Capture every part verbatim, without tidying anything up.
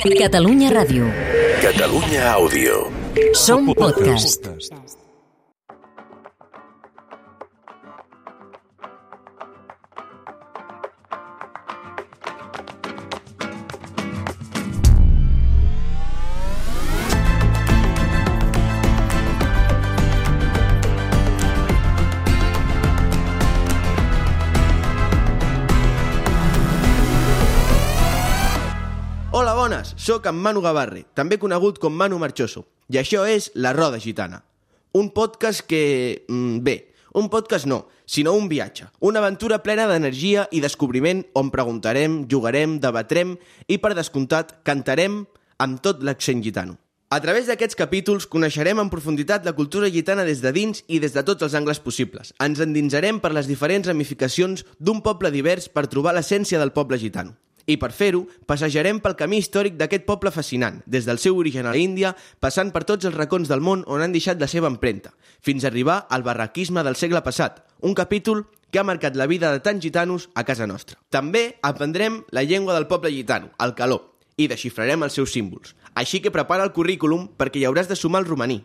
Catalunya Ràdio. Catalunya Àudio. Som podcast. Hola, bones! Soc en Manu Gavarre, també conegut com Manu Marchoso, i això és La Roda Gitana. Un podcast que... bé, un podcast no, sinó un viatge. Una aventura plena d'energia i descobriment on preguntarem, jugarem, debatrem i, per descomptat, cantarem amb tot l'accent gitano. A través d'aquests capítols coneixerem en profunditat la cultura gitana des de dins i des de tots els angles possibles. Ens endinsarem per les diferents ramificacions d'un poble divers per trobar l'essència del poble gitano. I per fer-ho, passejarem pel camí històric d'aquest poble fascinant, des del seu origen a l'Índia, passant per tots els racons del món on han deixat la seva empremta, fins a arribar al barraquisme del segle passat, un capítol que ha marcat la vida de tants gitanos a casa nostra. També aprendrem la llengua del poble gitano, el caló, i desxifrarem els seus símbols. Així que prepara el currículum perquè hi hauràs de sumar el romaní.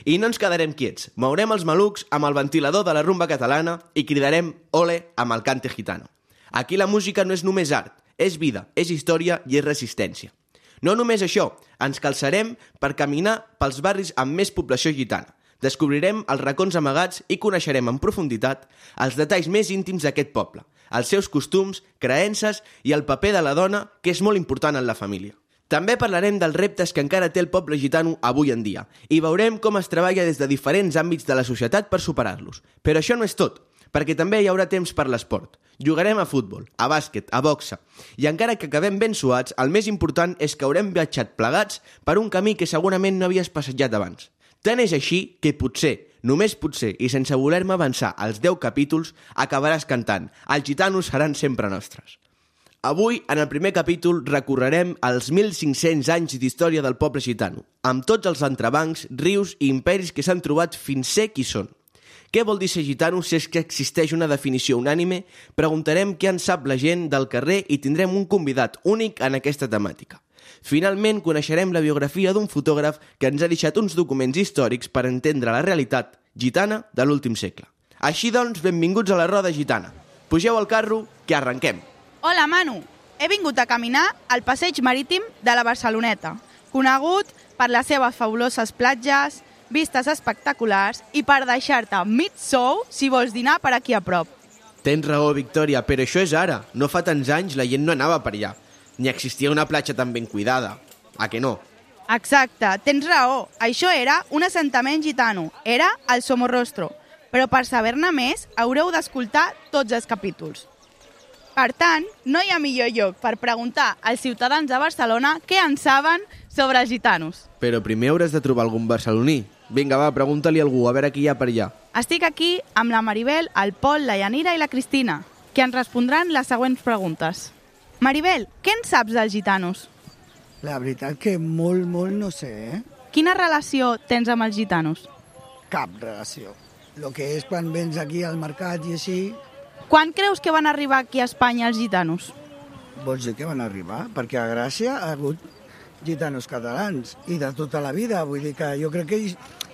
I no ens quedarem quiets, mourem els malucs amb el ventilador de la rumba catalana i cridarem ole amb el cante gitano. Aquí la música no és només art, és vida, és història i és resistència. No només això, ens calçarem per caminar pels barris amb més població gitana. Descobrirem els racons amagats i coneixerem en profunditat els detalls més íntims d'aquest poble, els seus costums, creences i el paper de la dona, que és molt important en la família. També parlarem dels reptes que encara té el poble gitano avui en dia i veurem com es treballa des de diferents àmbits de la societat per superar-los. Però això no és tot, perquè també hi haurà temps per l'esport. Jugarem a futbol, a bàsquet, a boxa, i encara que acabem ben suats, el més important és que haurem viatjat plegats per un camí que segurament no havies passejat abans. Tant és així que potser, només potser, i sense voler-me avançar als deu capítols, acabaràs cantant «Els gitanos seran sempre nostres». Avui, en el primer capítol, recorrerem els mil cinc-cents anys d'història del poble gitano, amb tots els entrebancs, rius i imperis que s'han trobat fins ser qui són. Què vol dir ser gitano si és que existeix una definició unànime? Preguntarem què en sap la gent del carrer i tindrem un convidat únic en aquesta temàtica. Finalment, coneixerem la biografia d'un fotògraf que ens ha deixat uns documents històrics per entendre la realitat gitana de l'últim segle. Així doncs, benvinguts a la Roda Gitana. Pugeu al carro, que arrenquem. Hola, Manu. He vingut a caminar al passeig marítim de la Barceloneta, conegut per les seves fabuloses platges, vistes espectaculars i per deixar-te mig sou si vols dinar per aquí a prop. Tens raó, Victòria, però això és ara. No fa tants anys la gent no anava per allà. Ni existia una platja tan ben cuidada. A que no? Exacte, tens raó. Això era un assentament gitano. Era el Somorrostro. Però per saber-ne més haureu d'escoltar tots els capítols. Per tant, no hi ha millor lloc per preguntar als ciutadans de Barcelona què en saben sobre els gitanos. Però primer hauràs de trobar algun barceloní. Vinga, va, pregunta-li a algú, a veure qui hi ha per allà. Estic aquí amb la Maribel, el Pol, la Yanira i la Cristina, que ens respondran les següents preguntes. Maribel, què en saps dels gitanos? La veritat que molt, molt no sé, eh? Quina relació tens amb els gitanos? Cap relació. Lo que és quan vens aquí al mercat i així... Quan creus que van arribar aquí a Espanya els gitanos? Vols dir que van arribar? Perquè a Gràcia ha hagut gitanos catalans i de tota la vida. Vull dir que jo crec que,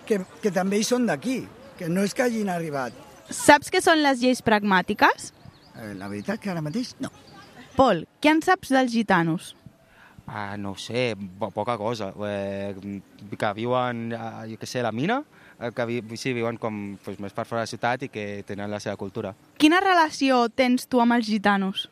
que, que també hi són d'aquí, que no és que hagin arribat. Saps què són les lleis pragmàtiques? Eh, la veritat que ara mateix no. Pol, què en saps dels gitanos? Ah, no ho sé, po poca cosa. Eh, que viuen, jo què sé, a la mina, que vi sí, viuen com pues, més per fora de la ciutat i que tenen la seva cultura. Quina relació tens tu amb els gitanos?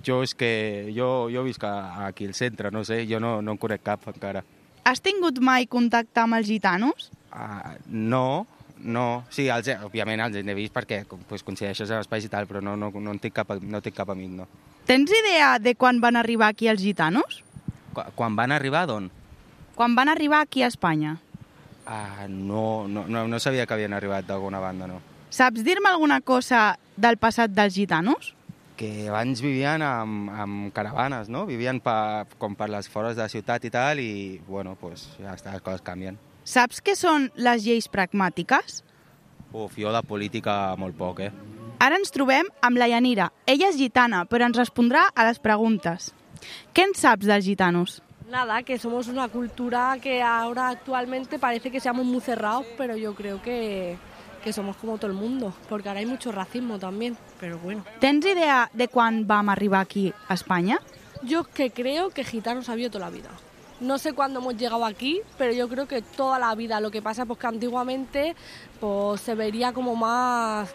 Jo és que jo, jo visc aquí al centre, no sé, jo no, no en conec cap encara. Has tingut mai contacte amb els gitanos? Ah, no, no. Sí, els, òbviament els he vist perquè pues, coincideixes en espais i tal, però no, no, no, en tinc cap, no tinc cap amic, no. Tens idea de quan van arribar aquí els gitanos? Qu quan van arribar, d'on? Quan van arribar aquí a Espanya. Ah, no, no, no, no sabia que havien arribat d'alguna banda, no. Saps dir-me alguna cosa del passat dels gitanos? Que abans vivien amb, amb caravanes, no? Vivien pa, com per les fores de la ciutat i tal, i, bueno, pues, ja està, les coses canvien. Saps què són les lleis pragmàtiques? Uf, jo de política molt poc, eh? Ara ens trobem amb la Yanira. Ella és gitana, però ens respondrà a les preguntes. ¿Qué en saps dels gitanos? Nada, que somos una cultura que ahora actualmente parece que seamos muy cerrados, pero yo creo que, que somos como todo el mundo, porque ahora hay mucho racismo también, pero bueno. Tens idea de quan vam arribar aquí a Espanya? Yo que creo que gitanos ha habido toda la vida. No sé cuándo hemos llegado aquí, pero yo creo que toda la vida. Lo que pasa es pues, que antiguamente pues, se vería como más,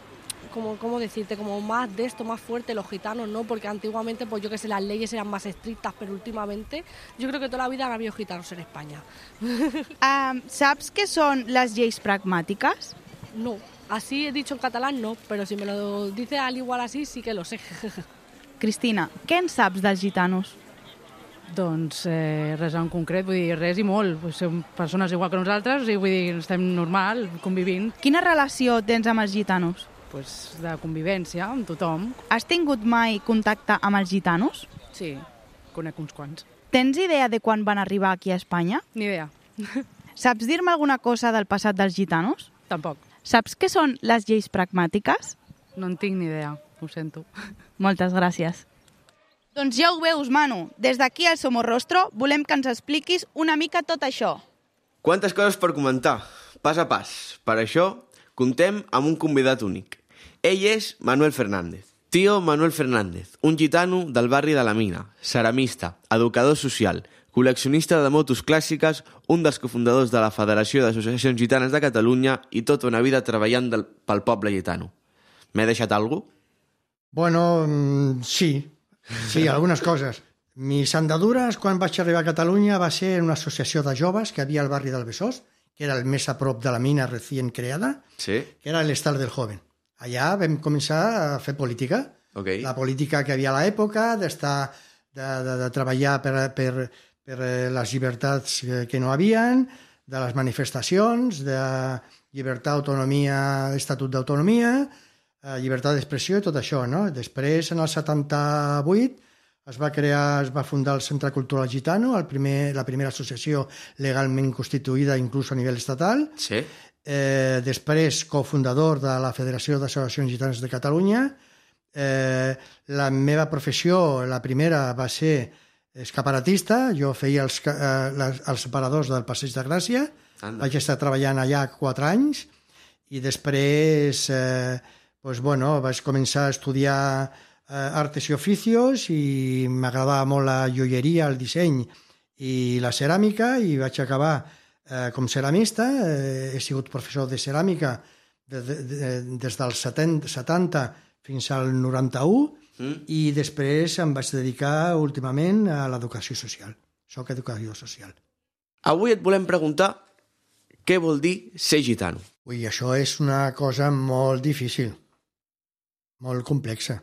como, ¿cómo decirte? Como más de esto, más fuerte los gitanos, ¿no? Porque antiguamente, pues yo que sé, las leyes eran más estrictas, pero últimamente yo creo que toda la vida han habido gitanos en España. Um, saps què són les lleis pragmàtiques? No, así he dicho en catalán no, pero si me lo dices al igual así sí que lo sé. Cristina, què en saps dels gitanos? Doncs eh, res en concret, vull dir, res i molt. Pues som persones igual que nosaltres, o sigui, vull dir, estem normal, convivint. Quina relació tens amb els gitanos? Pues de convivència amb tothom. Has tingut mai contacte amb els gitanos? Sí, conec uns quants. Tens idea de quan van arribar aquí a Espanya? Ni idea. Saps dir-me alguna cosa del passat dels gitanos? Tampoc. Saps què són les lleis pragmàtiques? No en tinc ni idea, ho sento. Moltes gràcies. Doncs ja ho veus, Manu. Des d'aquí al Somorrostro volem que ens expliquis una mica tot això. Quantes coses per comentar, pas a pas. Per això, contem amb un convidat únic. Ell és Manuel Fernández. Tío Manuel Fernández, un gitano del barri de la Mina, ceramista, educador social, col·leccionista de motos clàssiques, un dels cofundadors de la Federació d'Associacions Gitanes de Catalunya i tota una vida treballant del, pel poble gitano. M'he deixat alguna cosa? Bueno, sí. Sí, algunes coses. Mis andadures, quan vaig arribar a Catalunya, va ser en una associació de joves que havia al barri del Besòs, que era el més a prop de la mina recient creada, sí. Que era l'Estal del Joven. Allà vam començar a fer política. Okay. La política que havia a l'època, d'estar, de, de, de treballar per, per, per les llibertats que no havien, de les manifestacions, de llibertat, autonomia, estatut d'autonomia, llibertat d'expressió i tot això, no? Després, en el setanta-vuit, es va crear, es va fundar el Centre Cultural Gitano, el primer, la primera associació legalment constituïda inclús a nivell estatal. Sí. Eh, després, cofundador de la Federació d'Associacions Gitanes de Catalunya. Eh, la meva professió, la primera, va ser escaparatista. Jo feia els, eh, les, els separadors del Passeig de Gràcia. Anda. Vaig estar treballant allà quatre anys i després... Eh, Pues bueno, vaig començar a estudiar eh, artes i oficios i m'agradava molt la joieria, el disseny i la ceràmica i vaig acabar eh, com ceramista. Eh, he sigut professor de ceràmica de, de, de, des dels setanta fins al noranta-u mm. i després em vaig dedicar últimament a l'educació social. Soc educador social. Avui et volem preguntar què vol dir ser gitano. Ui, això és una cosa molt difícil. Molt complexa.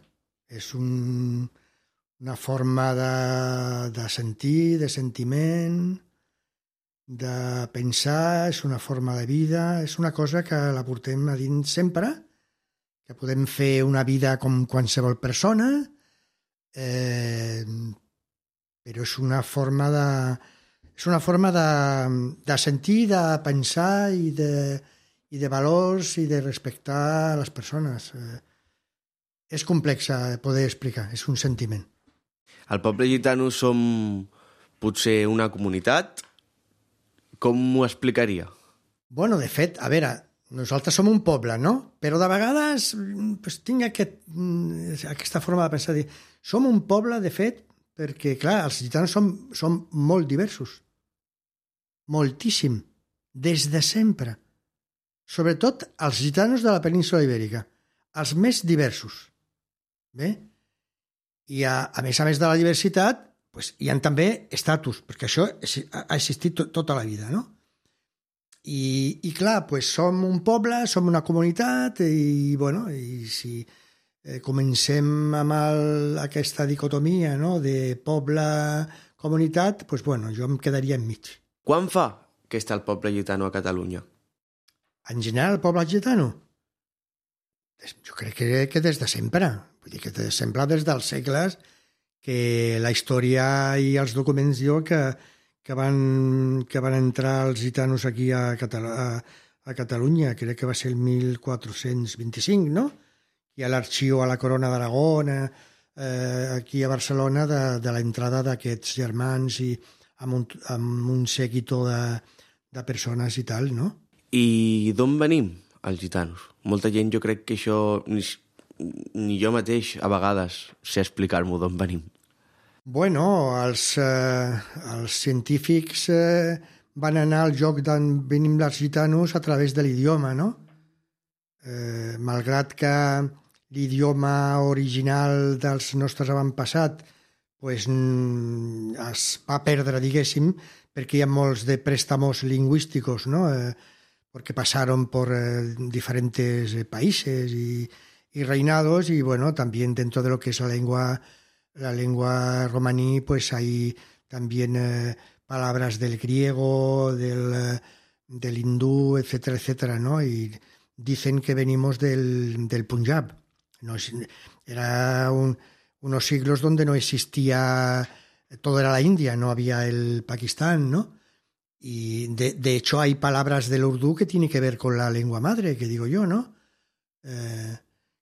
És un, una forma de, de sentir, de sentiment, de pensar, és una forma de vida, és una cosa que la portem a dins sempre, que podem fer una vida com qualsevol persona, eh, però és una forma de, és una forma de, de sentir, de pensar i de, i de valors i de respectar les persones. Eh, És complexa poder explicar, és un sentiment. El poble gitano som potser una comunitat? Com m'ho explicaria? Bueno, de fet, a veure, nosaltres som un poble, no? Però de vegades pues, tinc aquest, aquesta forma de pensar. Dir, som un poble, de fet, perquè, clar, els gitanos som, som molt diversos. Moltíssim. Des de sempre. Sobretot els gitanos de la península ibèrica. Els més diversos. Bé? I a, a més a més de la diversitat pues, hi ha també estatus, perquè això ha existit to, tota la vida, no? I, i clar, pues, som un poble, som una comunitat i, bueno, i si eh, comencem amb el, aquesta dicotomia, no?, de poble-comunitat, pues, bueno, jo em quedaria enmig. Quan fa que està el poble gitano a Catalunya? En general, el poble gitano? Jo crec que, que des de sempre. Vull dir que sempre des dels segles que la història i els documents diuen que, que, van, que van entrar els gitanos aquí a, Catal a, a Catalunya, crec que va ser el mil quatre-cents vint-i-cinc, no? I a l'arxiu a la Corona d'Aragó, eh, aquí a Barcelona de, de l'entrada d'aquests germans i amb un, amb un seguito de, de persones i tal, no? I d'on venim, els gitanos? Molta gent, jo crec que això, ni, ni jo mateix, a vegades, sé explicar-m'ho d'on venim. Bueno, els, eh, els científics eh, van anar al joc d'on venim els gitanos a través de l'idioma, no? Eh, malgrat que l'idioma original dels nostres avantpassats pues, es va perdre, diguéssim, perquè hi ha molts de préstamos lingüísticos, ¿no? Eh, porque pasaron por eh, diferentes países y, y reinados y, bueno, también dentro de lo que es la lengua, la lengua romaní, pues hay también eh, palabras del griego, del, del hindú, etcétera, etcétera, ¿no? Y dicen que venimos del, del Punjab. No, era un, unos siglos donde no existía, todo era la India, no había el Pakistán, ¿no? Y de, de hecho hay palabras del urdu que tienen que ver con la lengua madre, que digo yo, ¿no? Eh,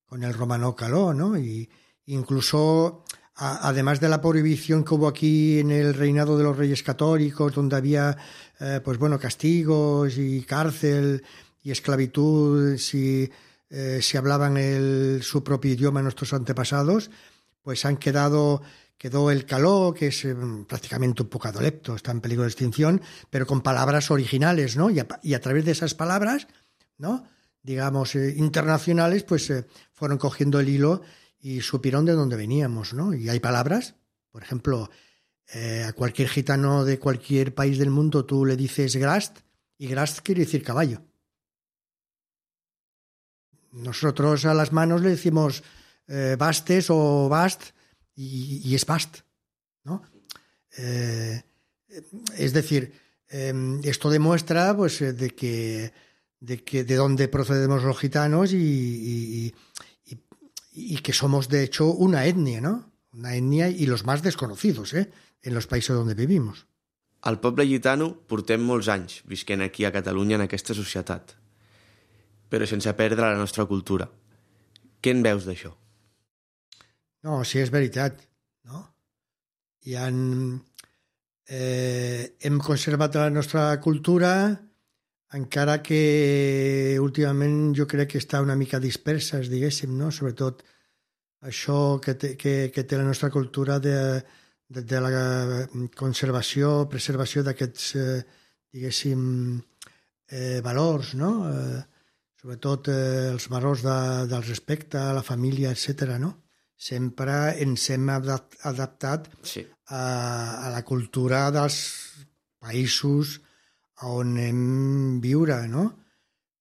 con el romano caló, ¿no? Y incluso, a, además de la prohibición que hubo aquí en el reinado de los reyes católicos, donde había, eh, pues bueno, castigos y cárcel y esclavitud si, eh, si hablaban el, su propio idioma nuestros antepasados, pues han quedado, quedó el caló, que es eh, prácticamente un poco adolepto, está en peligro de extinción, pero con palabras originales, ¿no? Y a, y a través de esas palabras, ¿no? digamos, eh, internacionales, pues eh, fueron cogiendo el hilo y supieron de dónde veníamos, ¿no? Y hay palabras, por ejemplo, eh, a cualquier gitano de cualquier país del mundo tú le dices grast, y grast quiere decir caballo. Nosotros a las manos le decimos eh, bastes o bast, y, y es bast, ¿no? Eh, es decir, eh, esto demuestra pues de que de que de dónde procedemos los gitanos y, y, y, y que somos de hecho una etnia, ¿no? Una etnia y los más desconocidos, ¿eh? En los países donde vivimos. Al poble gitano portem molts anys visquent aquí a Catalunya en aquesta societat, però sense perdre la nostra cultura. Què en veus d'això? No, sí, és veritat, no? I han, eh, hem conservat la nostra cultura, encara que últimament jo crec que està una mica dispersa, diguéssim, no? Sobretot això que té, que, que té la nostra cultura de, de, de la conservació, preservació d'aquests, eh, diguéssim, eh, valors, no? Eh, sobretot eh, els valors de, del respecte a la família, etcètera, no? Sempre ens hem adaptat sí. a, a la cultura dels països on hem viure, no?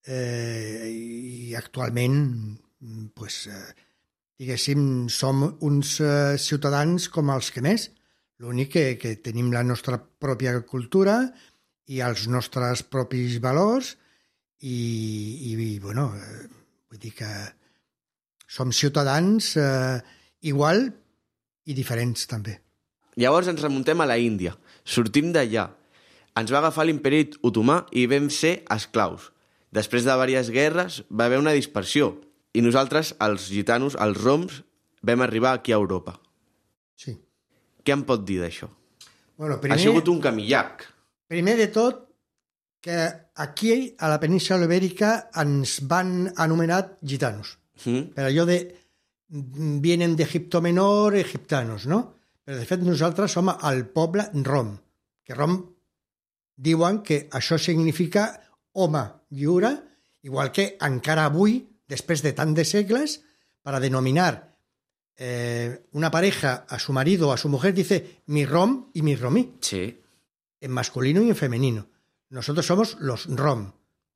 Eh, I actualment, pues, eh, diguéssim, som uns eh, ciutadans com els que més. L'únic que, que tenim la nostra pròpia cultura i els nostres propis valors i, i bueno, eh, vull dir que som ciutadans eh, igual i diferents també. Llavors ens remuntem a la Índia. Sortim d'allà. Ens va agafar l'imperi otomà i vam ser esclaus. Després de diverses guerres va haver una dispersió i nosaltres, els gitanos, els roms, vam arribar aquí a Europa. Sí. Què em pot dir d'això? Bueno, primer, ha sigut un camí llarg. Primer de tot, que aquí, a la península ibèrica, ens van anomenar gitanos. Mm. Per allò de vienen d'Egipto Menor, egiptanos, no? Però de fet nosaltres som el poble rom, que rom diuen que això significa home lliure, igual que encara avui, després de tant de segles, para denominar eh, una pareja a su marido o a su mujer, dice mi rom y mi romí. Sí. En masculino y en femenino. Nosotros somos los rom.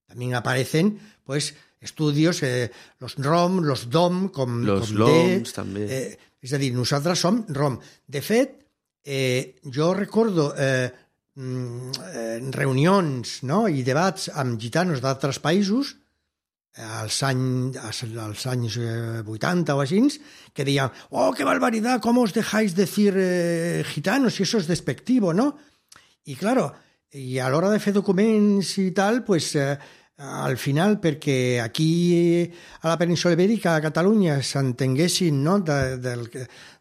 También aparecen, pues, estudios, eh, los rom, los dom, com, los com loms, de, també. Eh, és a dir, nosaltres som rom. De fet, eh, jo recordo eh, reunions, no?, i debats amb gitanos d'altres països als anys, als anys vuitanta o així, que deien, oh, qué barbaridad, ¿cómo os dejáis decir eh, gitanos? Si eso es despectivo, ¿no? Y claro, y a l'hora de fer documents i tal, pues, eh, al final, perquè aquí a la península ibèrica, a Catalunya, s'entenguessin, no?, de, de,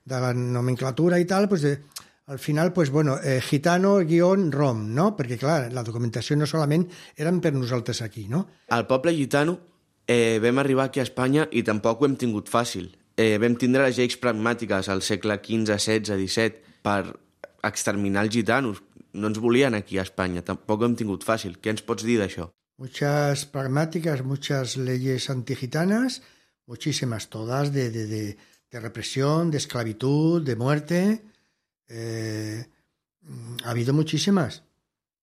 de la nomenclatura i tal, pues de, al final, pues, bueno, eh, gitano, guión, rom, no? Perquè, clar, la documentació no solament eren per nosaltres aquí, no? Al poble gitano eh, vam arribar aquí a Espanya i tampoc ho hem tingut fàcil. Eh, vam tindre les lleis pragmàtiques al segle quinze, setze, disset per exterminar els gitanos. No ens volien aquí a Espanya, tampoc ho hem tingut fàcil. Què ens pots dir d'això? Muchas pragmáticas, muchas leyes antigitanas, muchísimas, todas de, de, de, de represión, de esclavitud, de muerte. Eh, ha habido muchísimas,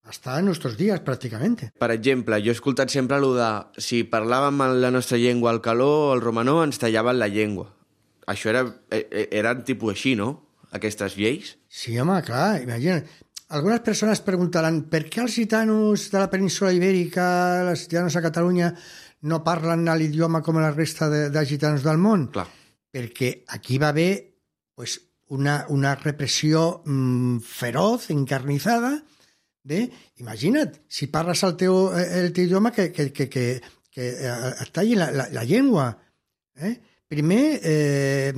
hasta en nuestros días prácticamente. Per exemple, jo he escoltat sempre allò de si parlàvem la nostra llengua al caló o al romanó ens tallaven la llengua. Això era, eren tipus així, no? Aquestes lleis? Sí, home, clar, imagina't. Algunas personas preguntarán ¿per qué los gitanos de la península ibérica, los gitanos a Catalunya, no parlen l'idioma com la resta de, de gitanos del món? Clar. Perquè aquí va haver pues, una, una repressió mmm, feroz, encarnizada. Bé, imagina't, si parles el teu, el teu idioma, que, que, que, que, que et talli la, la, la llengua. Eh? Primer... Eh,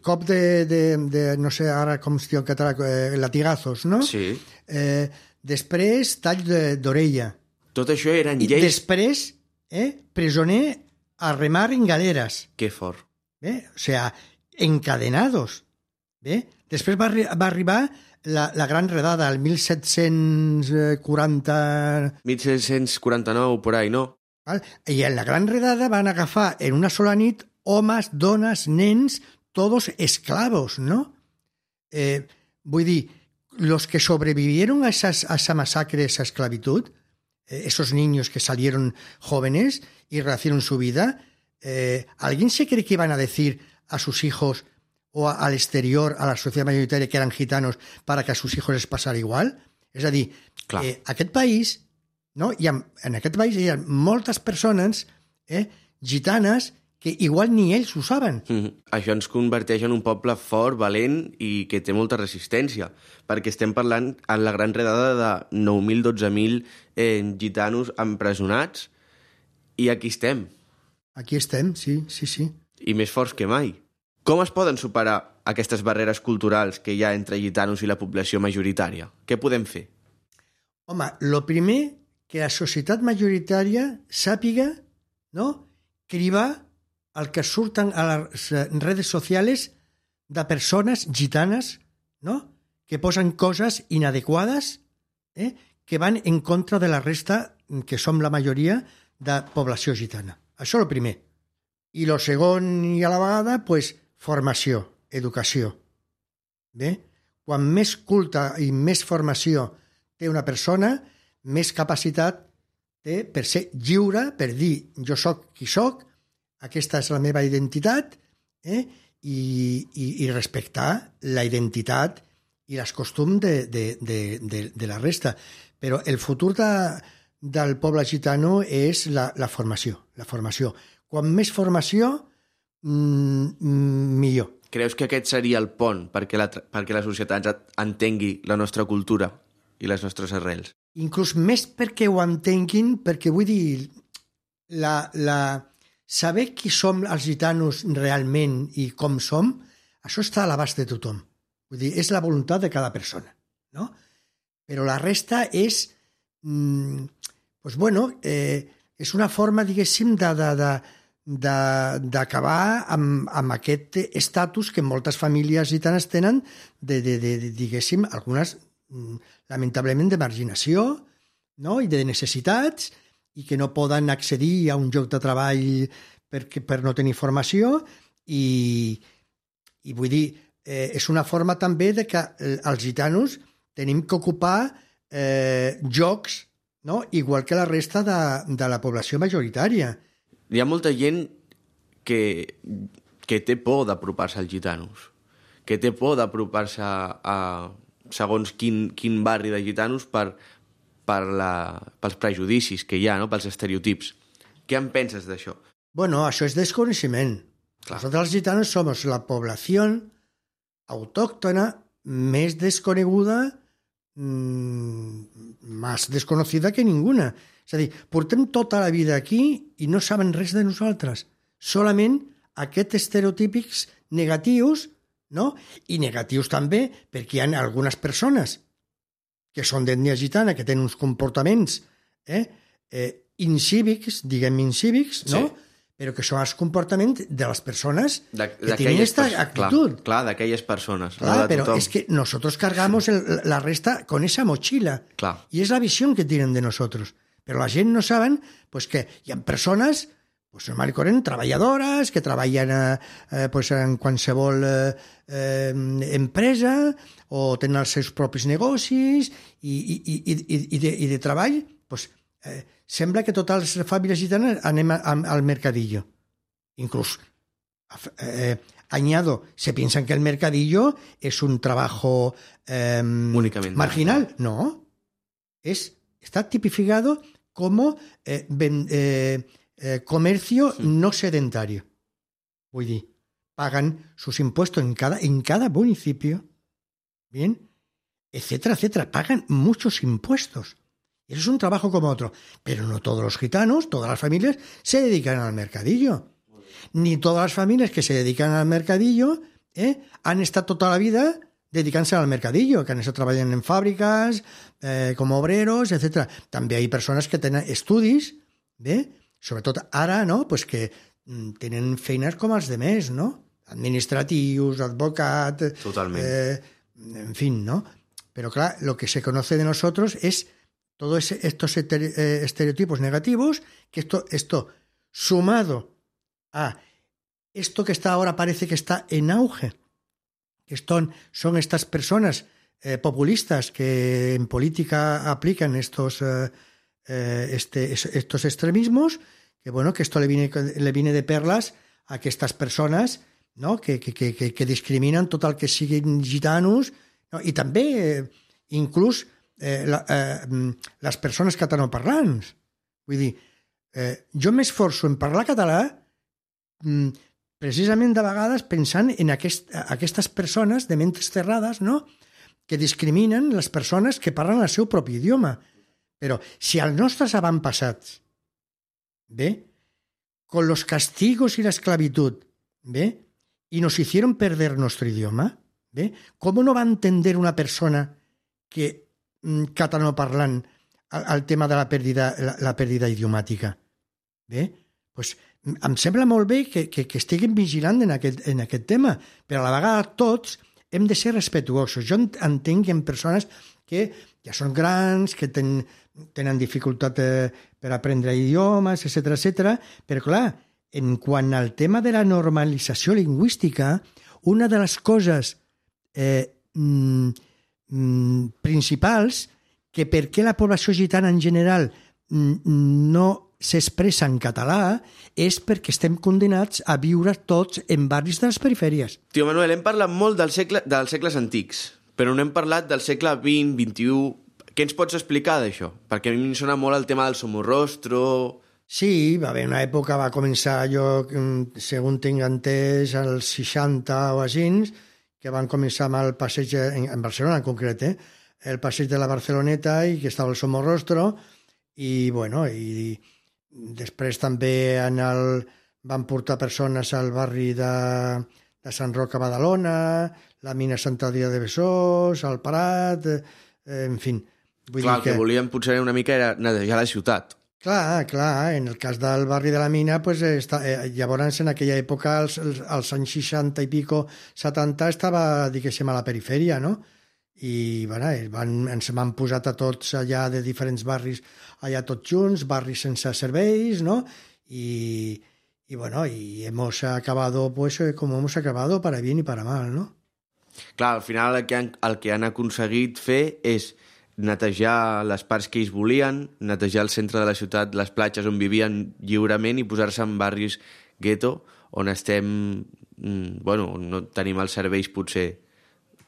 cop de, de, de, no sé ara com es diu en català, eh, latigazos, no? Sí. Eh, després, tall d'orella. Tot això eren I lleis... I després, eh, presoner a remar en galeres. Que fort. Bé, o sea, encadenados. Bé, després va, va arribar la, la gran redada, el mil set-cents quaranta... mil set-cents quaranta-nou, por ahí, no? Val? I en la gran redada van agafar en una sola nit homes, dones, nens, todos esclavos, ¿no? Eh, vull dir, los que sobrevivieron a, esas, a esa masacre, esa esclavitud, eh, esos niños que salieron jóvenes y rehacieron su vida, eh, ¿alguien se cree que iban a decir a sus hijos o a, al exterior, a la sociedad mayoritaria, que eran gitanos para que a sus hijos les passara igual? És a dir, eh, aquest país, no? I en, en aquest país hi ha moltes persones eh, gitanes que igual ni ells ho saben. Mm-hmm. Això ens converteix en un poble fort, valent i que té molta resistència, perquè estem parlant en la gran redada de nou mil, dotze mil eh, gitanos empresonats i aquí estem. Aquí estem, sí, sí, sí. I més forts que mai. Com es poden superar aquestes barreres culturals que hi ha entre gitanos i la població majoritària? Què podem fer? Home, lo primer, que la societat majoritària sàpiga, no?, cribar el que surten a les redes socials de persones gitanes, no?, que posen coses inadequades, eh?, que van en contra de la resta, que som la majoria, de població gitana. Això és el primer. I el segon, i a la vegada, pues, formació, educació. Bé? Quan més culta i més formació té una persona, més capacitat té per ser lliure, per dir jo sóc qui sóc, aquesta és la meva identitat, eh? I, i, i respectar la identitat i els costums de, de, de, de, de la resta. Però el futur de, del poble gitano és la, la formació. La formació. Quan més formació, mmm, millor. Creus que aquest seria el pont perquè la, perquè la societat entengui la nostra cultura i les nostres arrels? Inclús més perquè ho entenguin, perquè vull dir, la... la saber qui som els gitanos realment i com som, això està a l'abast de tothom. Vull dir, és la voluntat de cada persona, no? Però la resta és, mmm, pues bueno, eh, és una forma, diguéssim, de, de, de, de, d'acabar amb, amb aquest estatus que moltes famílies gitanes tenen, de, de, de, de diguéssim, algunes, lamentablement, de marginació, no?, i de necessitats, i que no poden accedir a un lloc de treball per, per no tenir formació i, i vull dir, eh, és una forma també de que els gitanos tenim que ocupar eh, llocs, no?, igual que la resta de, de la població majoritària. Hi ha molta gent que, que té por d'apropar-se als gitanos, que té por d'apropar-se a, a segons quin, quin barri de gitanos per per la, pels prejudicis que hi ha, no? Pels estereotips. Què en penses d'això? Bueno, això és desconeixement. Clar. Nosaltres els gitanos somos la població autòctona més desconeguda, mmm, más desconocida que ninguna. És a dir, portem tota la vida aquí i no saben res de nosaltres. Solament aquests estereotípics negatius, no? I negatius també perquè hi ha algunes persones que són d'ètnia gitana, que tenen uns comportaments eh, eh, incívics, diguem incívics, no? Sí. Però que són els comportaments de les persones de, que tenen aquesta actitud. Clar, clar d'aquelles persones. Clar, no però tothom. És que nosotros cargamos el, la resta con esa mochila. Clar. Y es la visión que tienen de nosotros. Pero la gent no saben pues, que hi ha persones pues, normal i corrent, treballadores, que treballen eh, pues, en qualsevol eh, eh, empresa o tenen els seus propis negocis i, i, i, i, i, de, i de treball pues, eh, sembla que totes les famílies gitanes anem a, a, al mercadillo. Incluso, eh, añado, se piensan que el mercadillo es un trabajo eh, marginal. No, es, está tipificado como eh, ben, eh, eh, comercio sí. no sedentario. Vull dir, pagan sus impuestos en cada, en cada municipio, bien, etcétera, etcétera. Pagan muchos impuestos. Eso es un trabajo como otro. Pero no todos los gitanos, todas las familias, se dedican al mercadillo. Ni todas las familias que se dedican al mercadillo eh, han estado toda la vida dedicant-se al mercadillo, que han estat treballant en fàbriques, eh, com obreros, etcètera. També hi ha persones que tenen estudis, bé, sobretot ara, no?, pues que tenen feines com els de més, no? Administratius, advocat... Totalment. Eh, en fin, ¿no? Pero claro, lo que se conoce de nosotros es todos estos estereotipos negativos, que esto, esto sumado a esto que está ahora parece que está en auge, que son, son estas personas eh, populistas que en política aplican estos, eh, este, estos extremismos, que bueno, que esto le viene, le viene de perlas a que estas personas, no?, que, que, que, que discriminen tot el que siguin gitanos, no? I també eh, inclús eh, la, eh, les persones catalanoparlants. Vull dir, eh, jo m'esforço en parlar català mm, precisament de vegades pensant en aquest, aquestes persones de mentes cerrades, no?, que discriminen les persones que parlen el seu propi idioma. Però si els nostres avantpassats, bé, con los castigos y la esclavitud, bé, y nos hicieron perder nuestro idioma, ¿ve? ¿Cómo no va a entender una persona que mm, catalanoparlant al, al tema de la pèrdua, la, la pèrdua idiomàtica? Bé? Pues, em sembla molt bé que, que, que estiguin vigilant en aquest, en aquest tema, però a la vegada tots hem de ser respetuosos. Jo entenc que hi ha persones que ja són grans, que ten, tenen dificultat eh, per aprendre idiomes, etcètera, etcètera, però clar, en quant al tema de la normalització lingüística, una de les coses eh, mm, mm, principals que per què la població gitana en general mm, no s'expressa en català és perquè estem condenats a viure tots en barris de les perifèries. Tio Manuel, hem parlat molt del segle, dels segles antics, però no hem parlat del segle vint, vint-i-u... Què ens pots explicar d'això? Perquè a mi em sona molt el tema del somorrostro... Sí, va haver una època, va començar jo, segons tinc entès, als seixanta o així, que van començar amb el passeig, en, en Barcelona en concret, eh? el passeig de la Barceloneta i que estava el Somorrostro, i bueno, i després també en el, van portar persones al barri de, de Sant Roc a Badalona, la mina Sant Adrià de Besòs, al Prat, eh, en fi. Vull Clar, dir que... el que volien potser una mica era netejar la ciutat. Clar, clar, en el cas del barri de la Mina, pues, està, eh, llavors en aquella època, als, als anys seixanta i pico, setanta, estava, diguéssim, a la perifèria, no? I bueno, van, ens van posat a tots allà de diferents barris, allà tots junts, barris sense serveis, no? I, y bueno, y hemos acabado, pues, como hemos acabado, para bien y para mal, no? Clar, al final el que han, el que han aconseguit fer és netejar les parts que ells volien, netejar el centre de la ciutat, les platges on vivien lliurement i posar-se en barris gueto on estem, bueno, no tenim els serveis potser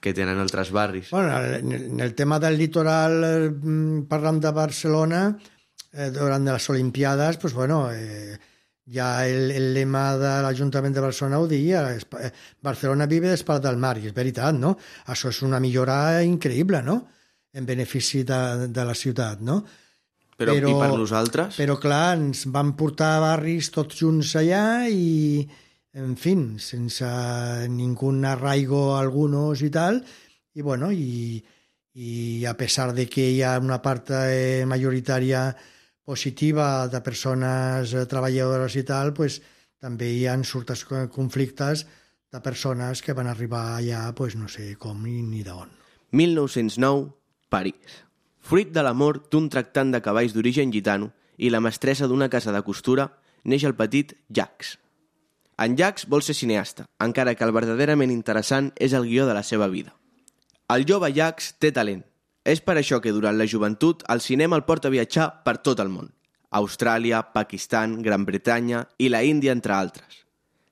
que tenen altres barris. Bueno, en el tema del litoral, parlant de Barcelona, eh, durant les Olimpiades, pues bueno, eh, ja el, el lema de l'Ajuntament de Barcelona ho deia, Barcelona vive d'espalda del mar, i és veritat, no? Això és una millora increïble, no?, en benefici de, de la ciutat, no? Però, però, i per nosaltres? Però, clar, ens van portar a barris tots junts allà i, en fi, sense ningú arraigo a algunos i tal, i, bueno, i, i a pesar de que hi ha una part eh, majoritària positiva de persones treballadores i tal, pues, també hi ha surtes conflictes de persones que van arribar allà, pues, no sé com ni d'on. mil nou-cents nou, París. Fruit de l'amor d'un tractant de cavalls d'origen gitano i la mestressa d'una casa de costura, neix el petit Jacques. En Jacques vol ser cineasta, encara que el verdaderament interessant és el guió de la seva vida. El jove Jacques té talent. És per això que durant la joventut el cinema el porta a viatjar per tot el món. Austràlia, Pakistan, Gran Bretanya i la Índia, entre altres.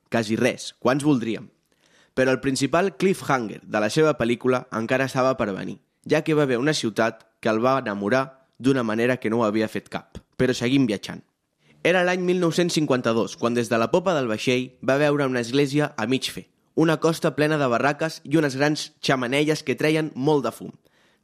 Quasi res, quants voldríem. Però el principal cliffhanger de la seva pel·lícula encara estava per venir, ja que va haver una ciutat que el va enamorar d'una manera que no ho havia fet cap. Però seguim viatjant. Era l'any mil nou-cents cinquanta-dos, quan des de la popa del vaixell va veure una església a mig fer, una costa plena de barraques i unes grans xamanelles que treien molt de fum.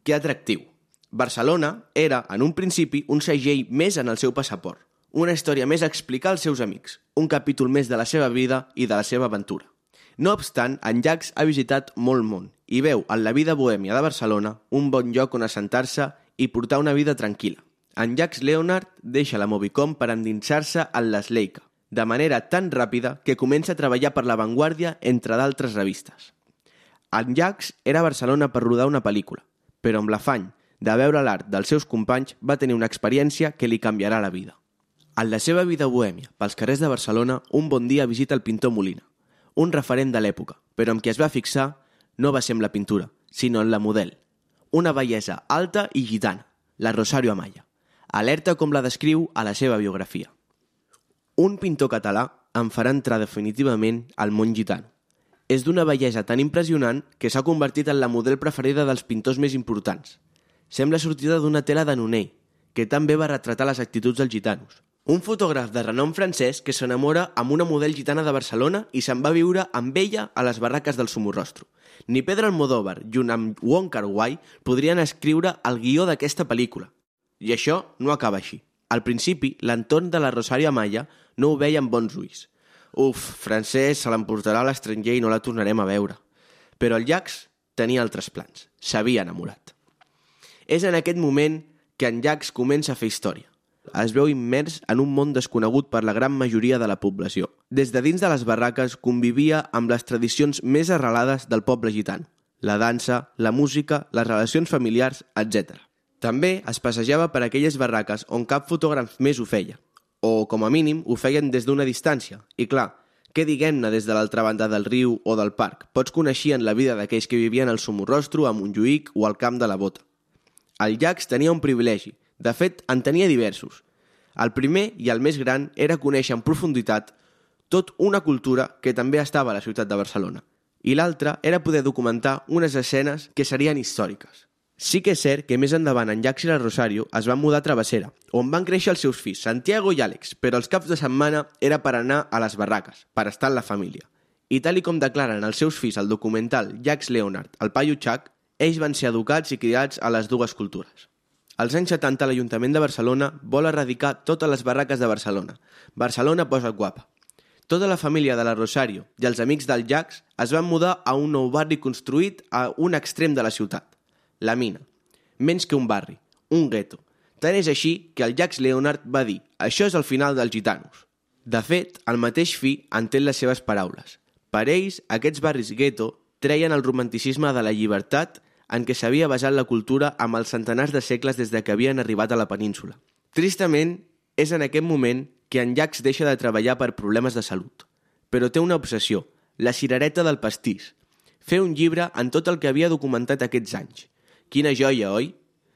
Que atractiu! Barcelona era, en un principi, un segell més en el seu passaport, una història més a explicar als seus amics, un capítol més de la seva vida i de la seva aventura. No obstant, en Jacques ha visitat molt món i veu en la vida bohèmia de Barcelona un bon lloc on assentar-se i portar una vida tranquil·la. En Jacques Leonard deixa la Movicom per endinsar-se en l'Sleica, de manera tan ràpida que comença a treballar per La Vanguardia, entre d'altres revistes. En Jacques era a Barcelona per rodar una pel·lícula, però amb l'afany de veure l'art dels seus companys va tenir una experiència que li canviarà la vida. En la seva vida bohèmia, pels carrers de Barcelona, un bon dia visita el pintor Molina, un referent de l'època, però amb qui es va fixar no va ser en la pintura, sinó en la model. Una bellesa alta i gitana, la Rosario Amaya. Alerta com la descriu a la seva biografia. Un pintor català em farà entrar definitivament al món gitano. És d'una bellesa tan impressionant que s'ha convertit en la model preferida dels pintors més importants. Sembla sortida d'una tela de Nonell, que també va retratar les actituds dels gitanos. Un fotògraf de renom francès que s'enamora amb una model gitana de Barcelona i se'n va viure amb ella a les barraques del Somorrostro. Ni Pedro Almodóvar, junt amb Wong Kar-wai, podrien escriure el guió d'aquesta pel·lícula. I això no acaba així. Al principi, l'entorn de la Rosario Amaya no ho veia amb bons ulls. Uf, francès se l'emportarà a l'estranger i no la tornarem a veure. Però el Jacques tenia altres plans. S'havia enamorat. És en aquest moment que en Jacques comença a fer història. Es veu immers en un món desconegut per la gran majoria de la població. Des de dins de les barraques convivia amb les tradicions més arrelades del poble gitano. La dansa, la música, les relacions familiars, etcètera. També es passejava per aquelles barraques on cap fotògraf més ho feia, o, com a mínim, ho feien des d'una distància. I clar, què diguem-ne des de l'altra banda del riu o del parc? Pots coneixien la vida d'aquells que vivien al Somorrostro, a Montjuïc o al Camp de la Bota. El Jacques tenia un privilegi. De fet, en tenia diversos. El primer i el més gran era conèixer en profunditat tot una cultura que també estava a la ciutat de Barcelona. I l'altre era poder documentar unes escenes que serien històriques. Sí que és cert que més endavant en Jacques i la Rosario es van mudar a Travessera, on van créixer els seus fills, Santiago i Àlex, però els caps de setmana era per anar a les barraques, per estar en la família. I tal i com declaren els seus fills al documental Jacques Leonard, el paio Chac, ells van ser educats i criats a les dues cultures. Als anys setanta l'Ajuntament de Barcelona vol erradicar totes les barraques de Barcelona. Barcelona posa't guapa. Tota la família de la Rosario i els amics del Jacques es van mudar a un nou barri construït a un extrem de la ciutat. La Mina. Menys que un barri, un gueto. Tant és així que el Jacques Leonard va dir «Això és el final dels gitanos». De fet, el mateix fi entén les seves paraules. Per ells, aquests barris gueto treien el romanticisme de la llibertat en què s'havia basat la cultura amb els centenars de segles des de que havien arribat a la península. Tristament, és en aquest moment que en Jacques deixa de treballar per problemes de salut. Però té una obsessió, la cirereta del pastís. Fer un llibre en tot el que havia documentat aquests anys. Quina joia, oi?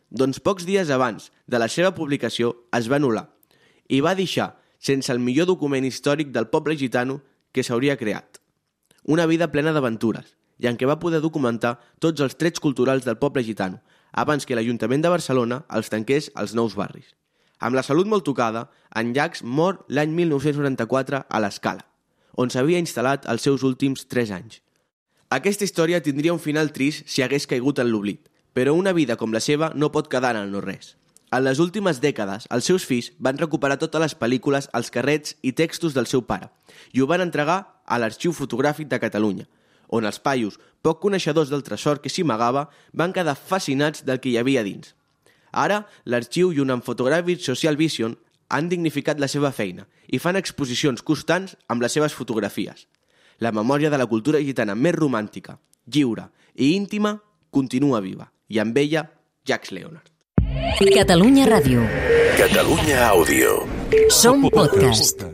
Doncs pocs dies abans de la seva publicació es va anul·lar i va deixar sense el millor document històric del poble gitano que s'hauria creat. Una vida plena d'aventures i en què va poder documentar tots els trets culturals del poble gitano abans que l'Ajuntament de Barcelona els tanqués als nous barris. Amb la salut molt tocada, en Jacques mor l'any mil nou-cents noranta-quatre a l'Escala, on s'havia instal·lat els seus últims tres anys. Aquesta història tindria un final trist si hagués caigut en l'oblit, però una vida com la seva no pot quedar en el no res. En les últimes dècades, els seus fills van recuperar totes les pel·lícules, els carrets i textos del seu pare i ho van entregar a l'Arxiu Fotogràfic de Catalunya, on els paios, poc coneixedors del tresor que s'hi amagava, van quedar fascinats del que hi havia dins. Ara, l'Arxiu i un fotogràfic Social Vision han dignificat la seva feina i fan exposicions constants amb les seves fotografies. La memòria de la cultura gitana més romàntica, lliure i íntima continua viva, i amb ella, Jacques Leonard. Catalunya Ràdio. Catalunya Àudio. Som podcast.